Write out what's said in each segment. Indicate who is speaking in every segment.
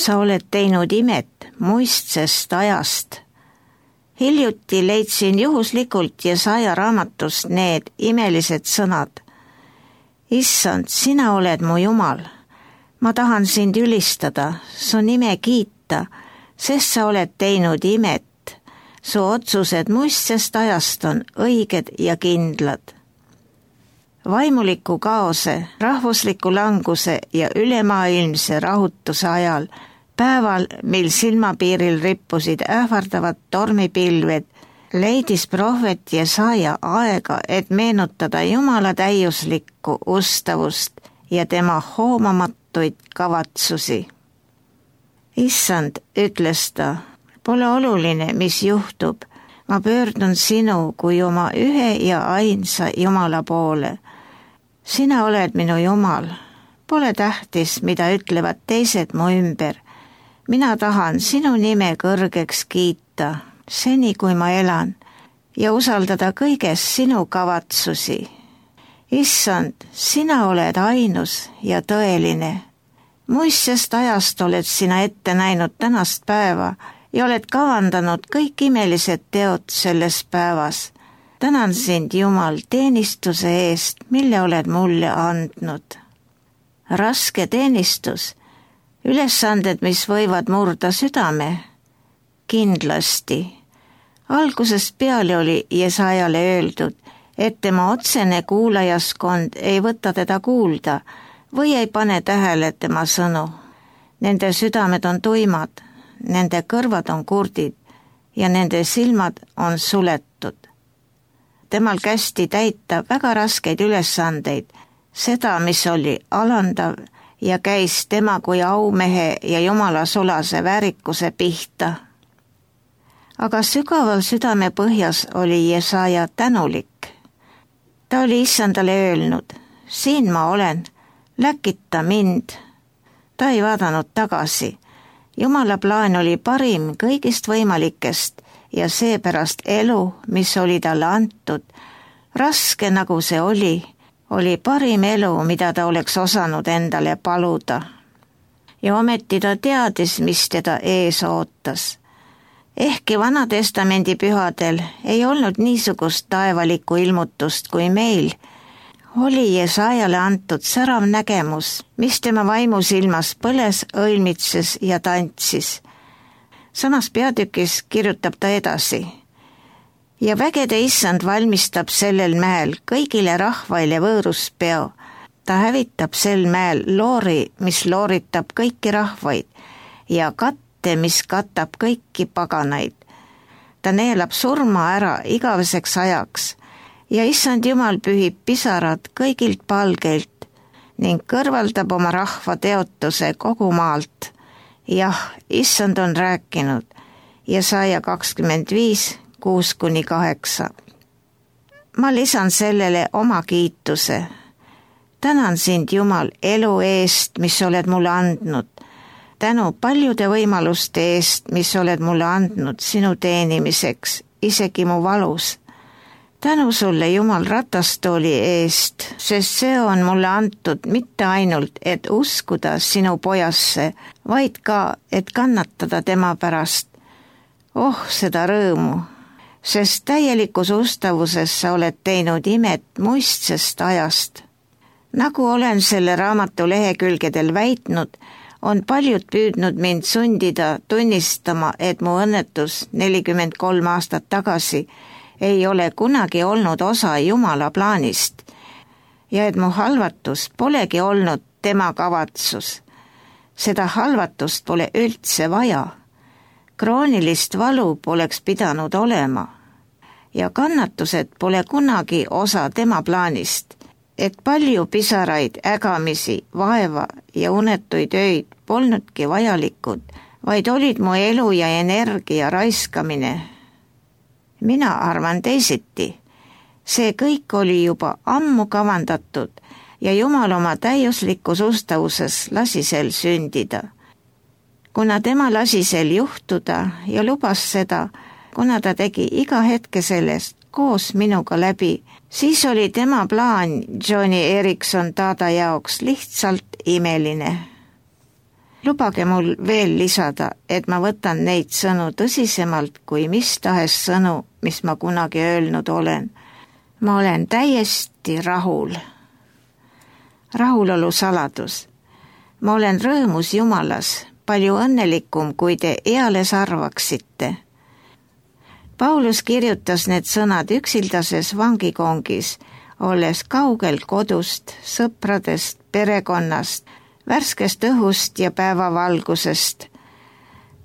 Speaker 1: sa oled teinud imet muistsest ajast. Hiljuti leidsin juhuslikult Jesaja raamatust need imelised sõnad. Issand, sina oled mu Jumal. Ma tahan sind ülistada, su nime kiita, sest sa oled teinud imet. Su otsused muistsest ajast on õiged ja kindlad. Vaimuliku kaose, rahvusliku languse ja ülemaailmse rahutuse ajal, päeval, mil silmapiiril rippusid ähvardavad tormipilved, leidis prohvet Jesaja aega, et meenutada Jumala täiuslikku ustavust ja tema hoomamatuid kavatsusi. Issand, ütles ta, pole oluline, mis juhtub, ma pöördun sinu kui oma ühe ja ainsa Jumala poole. Sina oled minu Jumal, pole tähtis, mida ütlevad teised mu ümber. Mina tahan sinu nime kõrgeks kiita, seni kui ma elan, ja usaldada kõiges sinu kavatsusi. Issand, sina oled ainus ja tõeline. Muistsest ajast oled sina ette näinud tänast päeva ja oled kavandanud kõik imelised teod selles päevas. Tänan sind, Jumal, teenistuse eest, mille oled mulle andnud. Raske teenistus, ülesanded, mis võivad murda südame. Kindlasti. Algusest peale oli Jesajale öeldud, et tema otsene kuulajaskond ei võta teda kuulda või ei pane tähele tema sõnu. Nende südamed on tuimad, nende kõrvad on kurdid ja nende silmad on suletud. Temal kästi täita väga raskeid ülesandeid, seda, mis oli alandav ja käis tema kui aumehe ja Jumala sulase väärikuse pihta. Aga sügaval südame põhjas oli Jesaja tänulik. Ta oli Issandale öelnud, siin ma olen, läkita mind. Ta ei vaadanud tagasi. Jumala plaan oli parim kõigist võimalikest ja seepärast elu, mis oli talle antud, raske nagu see oli parim elu, mida ta oleks osanud endale paluda. Ja ometi ta teadis, mis teda ees ootas. Ehkki Vanatestamendi pühadel ei olnud niisugust taevalikku ilmutust kui meil, oli Jesajale antud särav nägemus, mis tema vaimusilmas põles, õilmitses ja tantsis. Samas peatükis kirjutab ta edasi. Ja vägede Issand valmistab sellel mäel kõigile rahvaile võõruspeo. Ta hävitab sel mäel loori, mis looritab kõiki rahvaid ja katte, mis katab kõiki paganaid. Ta neelab surma ära igaveseks ajaks ja Issand Jumal pühib pisarad kõigilt palgeilt ning kõrvaldab oma rahva teotuse kogu maalt. Jah, Issand on rääkinud, Jesaja 25, 6-8. Ma lisan sellele oma kiituse. Tänan sind, Jumal, elu eest, mis oled mulle andnud. Tänu paljude võimaluste eest, mis oled mulle andnud sinu teenimiseks, isegi mu valus. Tänu sulle, Jumal, ratastooli eest, sest see on mulle antud mitte ainult, et uskuda sinu pojasse, vaid ka, et kannatada tema pärast. Oh, seda rõõmu, sest täielikus ustavuses sa oled teinud imet muistsest ajast. Nagu olen selle raamatu lehekülgedel väitnud, on paljud püüdnud mind sundida tunnistama, et mu õnnetus 43 aastat tagasi ei ole kunagi olnud osa Jumala plaanist ja et mu halvatus polegi olnud tema kavatsus. Seda halvatust pole üldse vaja. Kroonilist valu poleks pidanud olema ja kannatused pole kunagi osa tema plaanist, et palju pisaraid, ägamisi, vaeva ja unetuid öid polnudki vajalikud, vaid olid mu elu ja energia raiskamine. Mina arvan teisiti. See kõik oli juba ammu kavandatud ja Jumal oma täiuslikus ustavuses lasi sel sündida. Kuna tema lasi sel juhtuda ja lubas seda, kuna ta tegi iga hetke sellest koos minuga läbi, siis oli tema plaan Joni Eareckson Tada jaoks lihtsalt imeline. Lubage mul veel lisada, et ma võtan neid sõnu tõsisemalt kui mis tahes sõnu, mis ma kunagi öelnud olen. Ma olen täiesti rahul. Rahulolu saladus. Ma olen rõõmus Jumalas, palju õnnelikum, kui te eales arvaksite. Paulus kirjutas need sõnad üksildases vangikongis, olles kaugel kodust, sõpradest, perekonnast, värskest õhust ja päevavalgusest.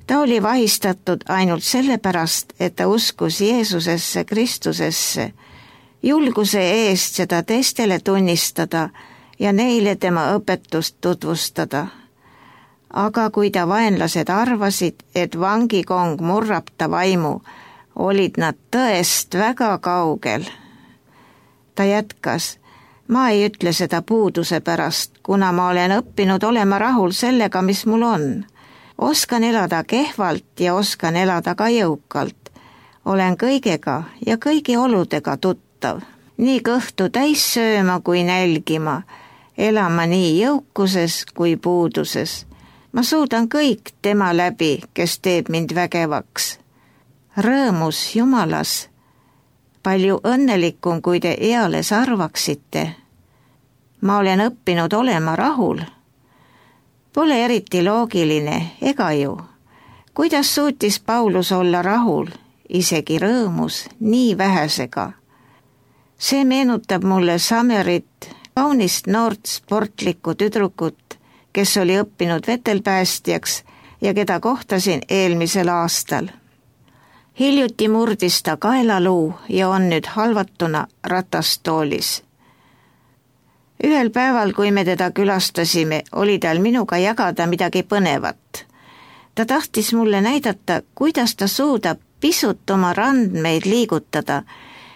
Speaker 1: Ta oli vahistatud ainult sellepärast, et ta uskus Jeesusesse, Kristusesse, julguse eest seda teistele tunnistada ja neile tema õpetust tutvustada. Aga kui ta vaenlased arvasid, et vangikong murrab ta vaimu, olid nad tõest väga kaugel. Ta jätkas, ma ei ütle seda puuduse pärast, kuna ma olen õppinud olema rahul sellega, mis mul on. Oskan elada kehvalt ja oskan elada ka jõukalt. Olen kõigega ja kõigi oludega tuttav. Nii kõhtu täis sööma kui nälgima, elama nii jõukuses kui puuduses. Ma suudan kõik tema läbi, kes teeb mind vägevaks. Rõõmus Jumalas, palju õnnelikum, kui te eales arvaksite. Ma olen õppinud olema rahul. Pole eriti loogiline, ega ju. Kuidas suutis Paulus olla rahul, isegi rõõmus, nii vähesega? See meenutab mulle Samerit, kaunist noort sportlikku tüdrukut, kes oli õppinud vetelpäästjaks ja keda kohtasin eelmisel aastal. Hiljuti murdis ta kaelaluu ja on nüüd halvatuna ratastoolis. Ühel päeval, kui me teda külastasime, oli tal minuga jagada midagi põnevat. Ta tahtis mulle näidata, kuidas ta suudab pisut oma randmeid liigutada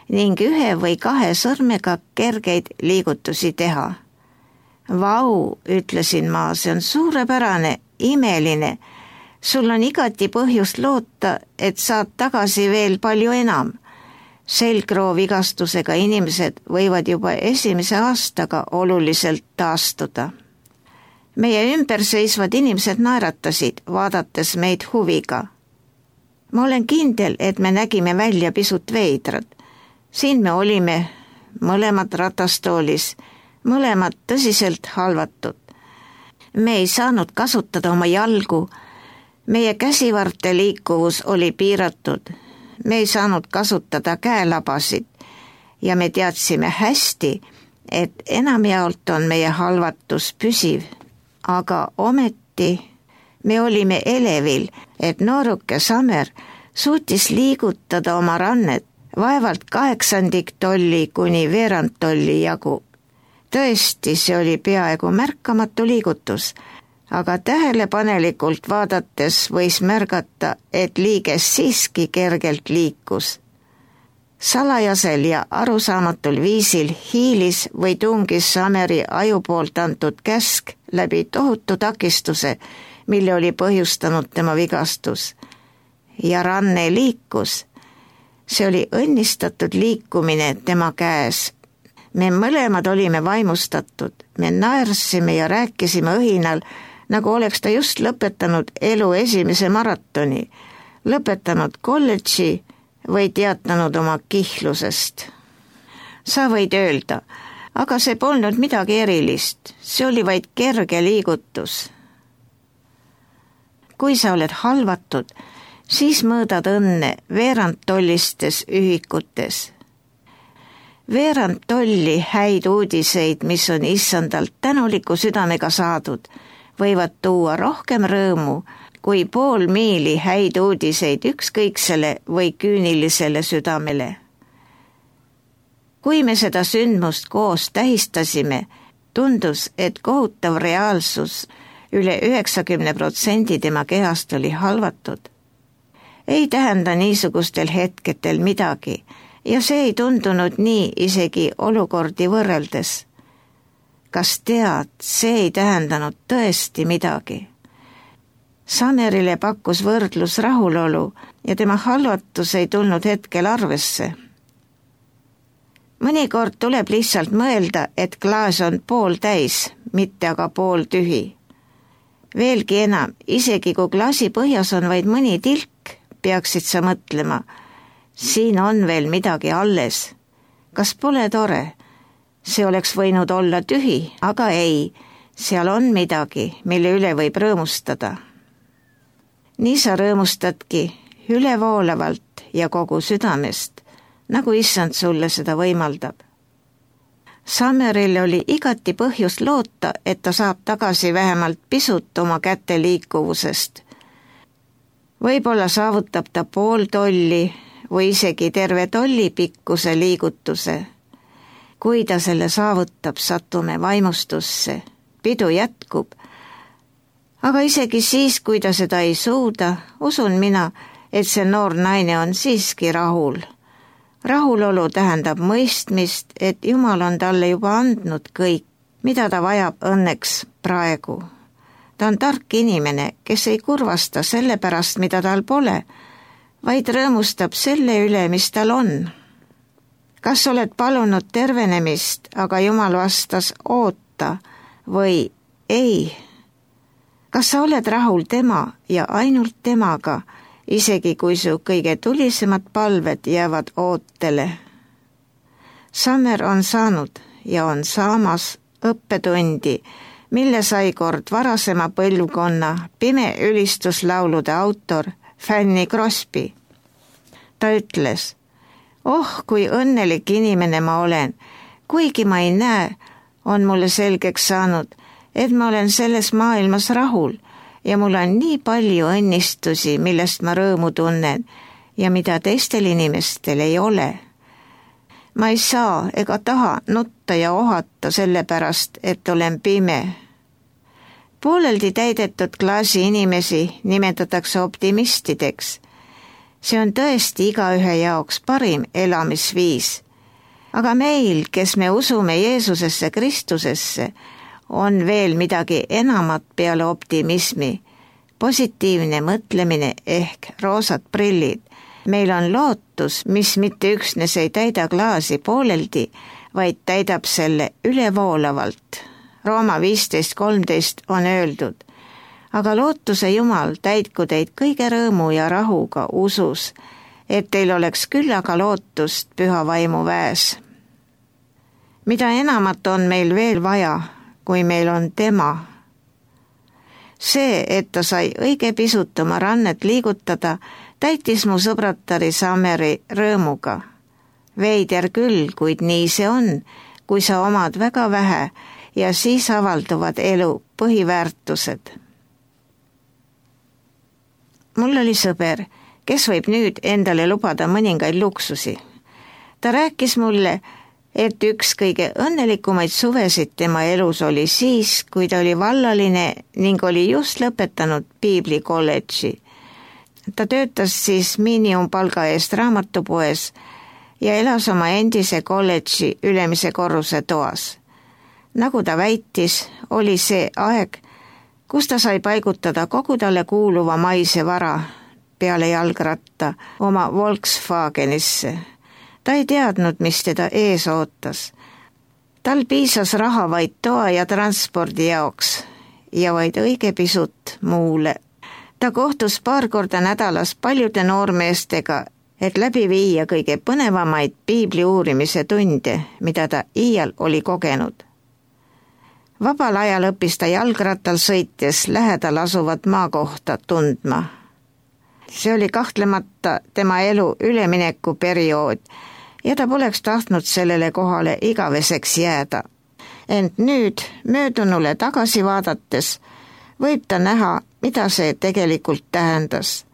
Speaker 1: ning 1 või 2 sõrmega kergeid liigutusi teha. Vau, ütlesin ma, see on suurepärane, imeline. Sul on igati põhjust loota, et saad tagasi veel palju enam. Selgroovigastusega inimesed võivad juba esimese aastaga oluliselt taastuda. Meie ümber seisvad inimesed naeratasid, vaadates meid huviga. Ma olen kindel, et me nägime välja pisut veidrad. Siin me olime, mõlemad ratastoolis, mõlemad tõsiselt halvatud. Me ei saanud kasutada oma jalgu, meie käsivarte liikuvus oli piiratud, me ei saanud kasutada käelabasid ja me teadsime hästi, et enamjaolt on meie halvatus püsiv, aga ometi me olime elevil, et nooruke Samer suutis liigutada oma rannet vaevalt 1/8 tolli kuni 1/2 tolli jagu. Tõesti, see oli peaaegu märkamatu liigutus, aga tähelepanelikult vaadates võis märgata, et liiges siiski kergelt liikus. Salajasel ja arusaamatul viisil hiilis või tungis Sameri aju poolt antud käsk läbi tohutu takistuse, mille oli põhjustanud tema vigastus. Ja ranne liikus. See oli õnnistatud liikumine tema käes. Me mõlemad olime vaimustatud, me naersime ja rääkisime õhinal, nagu oleks ta just lõpetanud elu esimese maratoni, lõpetanud kolledži või teatanud oma kihlusest. Sa võid öelda, aga see polnud midagi erilist, see oli vaid kerge liigutus. Kui sa oled halvatud, siis mõõdad õnne 1/2 tollistes ühikutes. 1/2 tolli häid uudiseid, mis on issandalt tänuliku südamega saadud, võivad tuua rohkem rõõmu kui 0,5 miili häid uudiseid ükskõiksele või küünilisele südamele. Kui me seda sündmust koos tähistasime, tundus, et kohutav reaalsus, üle 90% tema kehast oli halvatud. Ei tähenda niisugustel hetkedel midagi ja see ei tundunud nii isegi olukordi võrreldes. Kas tead, see ei tähendanud tõesti midagi. Samerile pakkus võrdlus rahulolu ja tema halvatus ei tulnud hetkel arvesse. Mõnikord tuleb lihtsalt mõelda, et klaas on pooltäis, mitte aga pooltühi. Veelgi enam, isegi kui klaasi põhjas on vaid mõni tilk, peaksid sa mõtlema, siin on veel midagi alles. Kas pole tore? See oleks võinud olla tühi, aga ei, seal on midagi, mille üle võib rõõmustada. Nii sa rõõmustadki ülevoolavalt ja kogu südamest, nagu issand sulle seda võimaldab. Summeril oli igati põhjust loota, et ta saab tagasi vähemalt pisut oma käte liikuvusest. Võib-olla saavutab ta pool tolli või isegi terve tolli pikkuse liigutuse. Kui ta selle saavutab, satume vaimustusse, pidu jätkub. Aga isegi siis, kui ta seda ei suuda, usun mina, et see noor naine on siiski rahul. Rahulolu tähendab mõistmist, et Jumal on talle juba andnud kõik, mida ta vajab õnneks praegu. Ta on tark inimene, kes ei kurvasta selle pärast, mida tal pole, vaid rõõmustab selle üle, mis tal on. Kas oled palunud tervenemist, aga Jumal vastas oota või ei? Kas sa oled rahul tema ja ainult temaga, isegi kui su kõige tulisemad palved jäävad ootele? Summer on saanud ja on saamas õppetundi, mille sai kord varasema põlvkonna pime ülistuslaulude autor Fanny Crosby. Ta ütles, kui õnnelik inimene ma olen, kuigi ma ei näe, on mulle selgeks saanud, et ma olen selles maailmas rahul ja mul on nii palju õnnistusi, millest ma rõõmu tunnen ja mida teistel inimestel ei ole. Ma ei saa ega taha nutta ja ohata sellepärast, et olen pime. Pooleldi täidetud klaasi inimesi nimetatakse optimistideks. See on tõesti igaühe jaoks parim elamisviis. Aga meil, kes me usume Jeesusesse Kristusesse, on veel midagi enamat peale optimismi, positiivne mõtlemine ehk roosad prillid. Meil on lootus, mis mitte üksnes ei täida klaasi pooleldi, vaid täidab selle ülevoolavalt. Rooma 15:13 on öeldud, aga lootuse Jumal täitku teid kõige rõõmu ja rahuga usus, et teil oleks küllaga lootust püha vaimu väes. Mida enamat on meil veel vaja, kui meil on tema. See, et ta sai õige pisut oma rannet liigutada, täitis mu sõbratari Summeri rõõmuga. Veider küll, kuid nii see on, kui sa omad väga vähe ja siis avalduvad elu põhiväärtused. Mul oli sõber, kes võib nüüd endale lubada mõningaid luksusi. Ta rääkis mulle, et üks kõige õnnelikumaid suvesid tema elus oli siis, kui ta oli vallaline ning oli just lõpetanud Piibli kolledži. Ta töötas siis miinimumpalga eest raamatupoes ja elas oma endise kolledži ülemise korruse toas. Nagu ta väitis, oli see aeg, kus ta sai paigutada kogu talle kuuluva maise vara peale jalgratta oma Volkswagenisse. Ta ei teadnud, mis teda ees ootas. Tal piisas raha vaid toa ja transpordi jaoks ja vaid õige pisut muule. Ta kohtus paar korda nädalas paljude noormeestega, et läbi viia kõige põnevamaid piibli uurimise tunde, mida ta iial oli kogenud. Vabal ajal õppis ta jalgrattal sõites lähedal asuvat maakohta tundma. See oli kahtlemata tema elu üleminekuperiood ja ta poleks tahtnud sellele kohale igaveseks jääda. Ent nüüd, möödunule tagasi vaadates, võib ta näha, mida see tegelikult tähendas.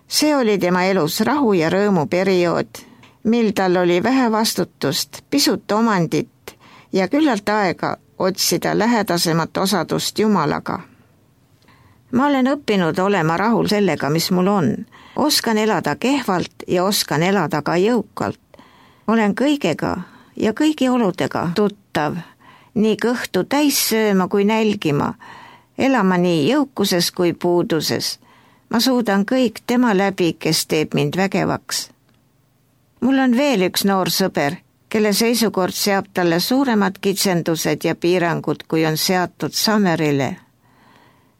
Speaker 1: See oli tema elus rahu ja rõõmu periood, mil tal oli vähe vastutust, pisut omandit ja küllalt aega otsida lähedasemat osadust Jumalaga. Ma olen õppinud olema rahul sellega, mis mul on. Oskan elada kehvalt ja oskan elada ka jõukalt. Olen kõigega ja kõigi oludega tuttav, nii kõhtu täis sööma kui nälgima, elama nii jõukuses kui puuduses. Ma suudan kõik tema läbi, kes teeb mind vägevaks. Mul on veel üks noor sõber, kelle seisukord seab talle suuremad kitsendused ja piirangud, kui on seatud Summerile.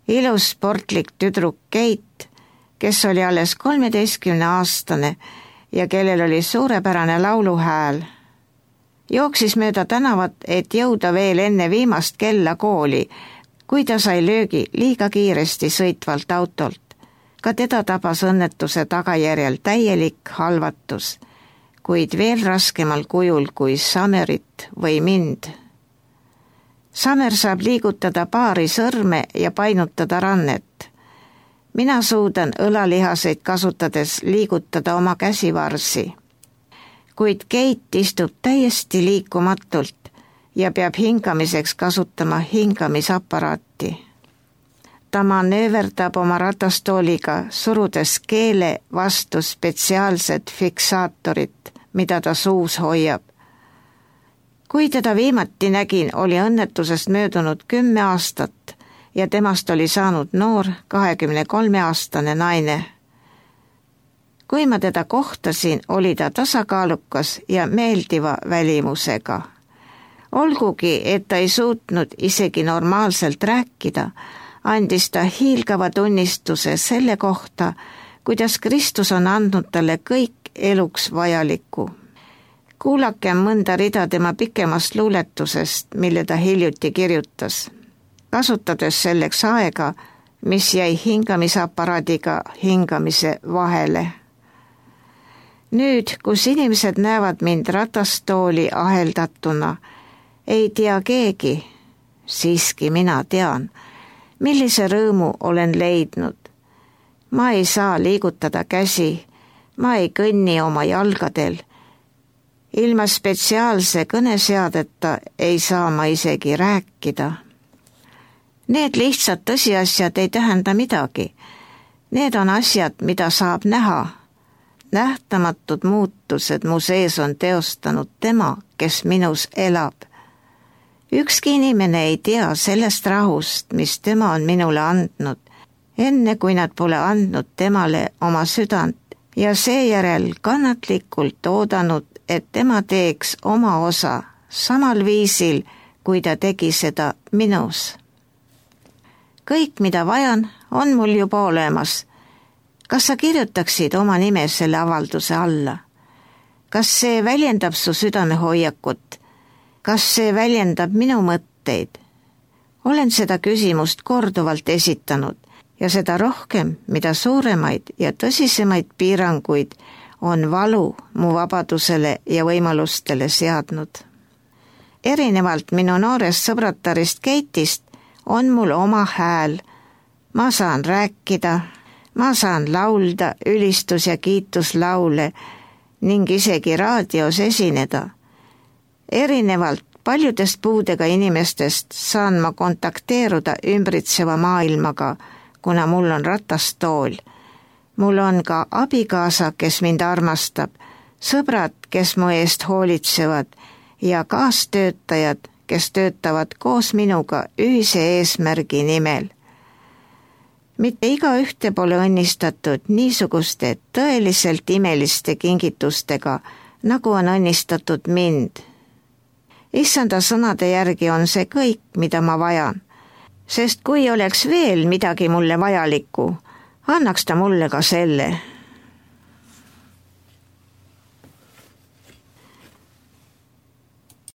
Speaker 1: ilus sportlik tüdruk Kate, kes oli alles 13-aastane ja kellel oli suurepärane lauluhääl. Jooksis mööda tänavat, et jõuda veel enne viimast kella kooli, kui ta sai löögi liiga kiiresti sõitvalt autolt. Ka teda tabas õnnetuse tagajärjel täielik halvatus, kuid veel raskemal kujul kui Summerit või mind. Summer saab liigutada paari sõrme ja painutada rannet. Mina suudan õlalihaseid kasutades liigutada oma käsivarsi. Kuid Kate istub täiesti liikumatult ja peab hingamiseks kasutama hingamisaparaati. Ta manööverdab oma ratastooliga, surudes keele vastu spetsiaalset fiksaatorit, mida ta suus hoiab. Kui teda viimati nägin, oli õnnetusest möödunud 10 aastat ja temast oli saanud noor 23-aastane naine. Kui ma teda kohtasin, oli ta tasakaalukas ja meeldiva välimusega. Olgugi, et ta ei suutnud isegi normaalselt rääkida, andis ta hiilgava tunnistuse selle kohta, kuidas Kristus on andnud talle kõik eluks vajalikku. Kuulakem mõnda rida tema pikemast luuletusest, mille ta hiljuti kirjutas, kasutades selleks aega, mis jäi hingamisaparaadiga hingamise vahele. Nüüd, kus inimesed näevad mind ratastooli aheldatuna, ei tea keegi, siiski mina tean, millise rõõmu olen leidnud. Ma ei saa liigutada käsi, ma ei kõnni oma jalgadel. Ilma spetsiaalse kõneseadeta ei saa ma isegi rääkida. Need lihtsad tõsiasjad ei tähenda midagi. Need on asjad, mida saab näha. Nähtamatud muutused mu sees on teostanud tema, kes minus elab. Ükski inimene ei tea sellest rahust, mis tema on minule andnud, enne kui nad pole andnud temale oma südant ja seejärel kannatlikult oodanud, et tema teeks oma osa samal viisil, kui ta tegi seda minus. Kõik, mida vajan, on mul juba olemas. Kas sa kirjutaksid oma nime selle avalduse alla? Kas see väljendab su südamehoiakut? Kas see väljendab minu mõtteid? Olen seda küsimust korduvalt esitanud ja seda rohkem, mida suuremaid ja tõsisemaid piiranguid on valu mu vabadusele ja võimalustele seadnud. Erinevalt minu noorest sõbratarist Kate'ist on mul oma hääl. Ma saan rääkida, ma saan laulda ülistus- ja kiituslaule ning isegi raadios esineda. Erinevalt paljudest puudega inimestest saan ma kontakteeruda ümbritseva maailmaga, kuna mul on ratastool. Mul on ka abikaasa, kes mind armastab, sõbrad, kes mu eest hoolitsevad ja kaastöötajad, kes töötavad koos minuga ühise eesmärgi nimel. Mitte igaühte pole õnnistatud niisuguste tõeliselt imeliste kingitustega, nagu on õnnistatud mind. Issanda sõnade järgi on see kõik, mida ma vajan, sest kui oleks veel midagi mulle vajalikku, annaks ta mulle ka selle.